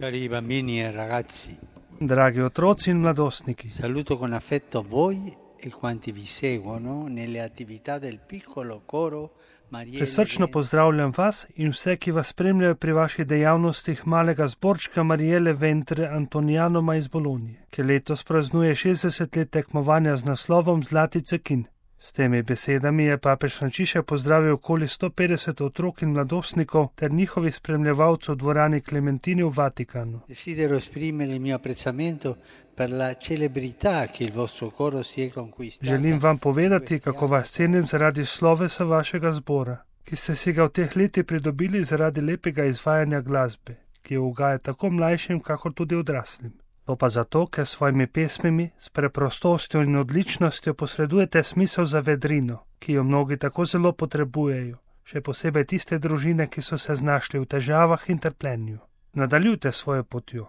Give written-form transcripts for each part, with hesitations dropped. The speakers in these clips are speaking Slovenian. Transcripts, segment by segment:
Cari bambini e ragazzi, Dragi otroci in mladostniki, saluto con affetto voi e quanti vi seguono nelle attività del piccolo coro Marielle prisrčno Ventre. pozdravljam vas in vse, ki vas spremljajo pri vaših dejavnostih malega zborčka Marielle Ventre Antonijanoma iz Bolonije, ki letos praznuje 60 let tekmovanja z naslovom Zlati cekin. S temi besedami je papež Frančišek pozdravil okoli 150 otrok in mladostnikov ter njihovih spremljevalcev v dvorani Klementini v Vatikanu. Desidero esprimere il mio apprezzamento per la celebrità che il vostro coro si è conquistato. Želim vam povedati, kako vas cenim zaradi slovesa vašega zbora, ki ste si ga v teh letih pridobili zaradi lepega izvajanja glasbe, ki jo ugaja tako mlajšim, kakor tudi odraslim. To pa zato, ker s svojimi pesmimi, s preprostostjo in odličnostjo posredujete smisel za vedrino, ki jo mnogi tako zelo potrebujejo, še posebej tiste družine, ki so se znašli v težavah in trpljenju. Nadaljujte svojo potjo.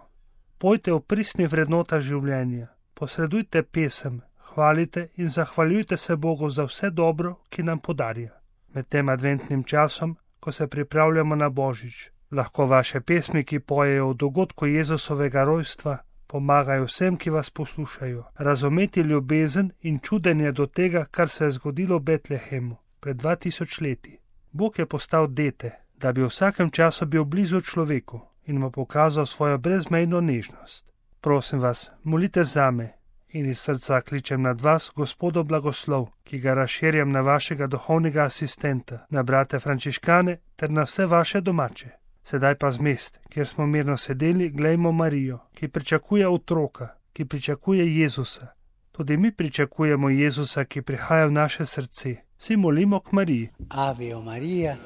Pojte o pristnih vrednotah življenja, posredujte pesem, hvalite in zahvaljujte se Bogu za vse dobro, ki nam podarja. Med tem adventnim časom, ko se pripravljamo na Božič, lahko vaše pesmi, ki pojejo o dogodku Jezusovega rojstva, pomagajo vsem, ki vas poslušajo, razumeti ljubezen in čudenje do tega, kar se je zgodilo v Betlehemu pred 2000 leti. Bog je postal dete, da bi v vsakem času bil blizu človeku in mu pokazal svojo brezmejno nežnost. Prosim vas, molite zame in iz srca kličem nad vas Gospodov blagoslov, ki ga razširjam na vašega duhovnega asistenta, na brate frančiškane ter na vse vaše domače. Sedaj pa z mest, kjer smo mirno sedeli, glejmo Marijo, ki pričakuje otroka, ki pričakuje Jezusa. Tudi mi pričakujemo Jezusa, ki prihaja v naše srce. Vsi molimo k Mariji. Ave o Maria,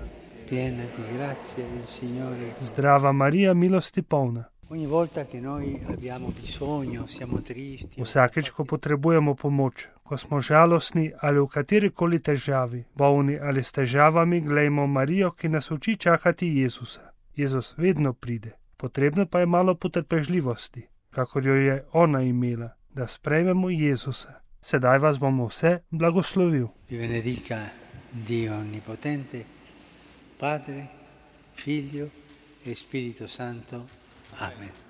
piena di grazia, il Signore. Zdrava Marija, milosti polna. Ogni volta che noi abbiamo bisogno, siamo tristi. Vsakeč, ko potrebujemo pomoč, ko smo žalostni ali v katerikoli težavi, bolni ali s težavami, glejmo Marijo, ki nas uči čakati Jezusa. Jezus vedno pride, potrebno pa je malo potrpežljivosti, kakor jo je ona imela, da sprejmemo Jezusa. Sedaj vas bomo vse blagoslovil. Vi benedica Dio Onnipotente, Padre, Figlio e Spirito Santo. Amen.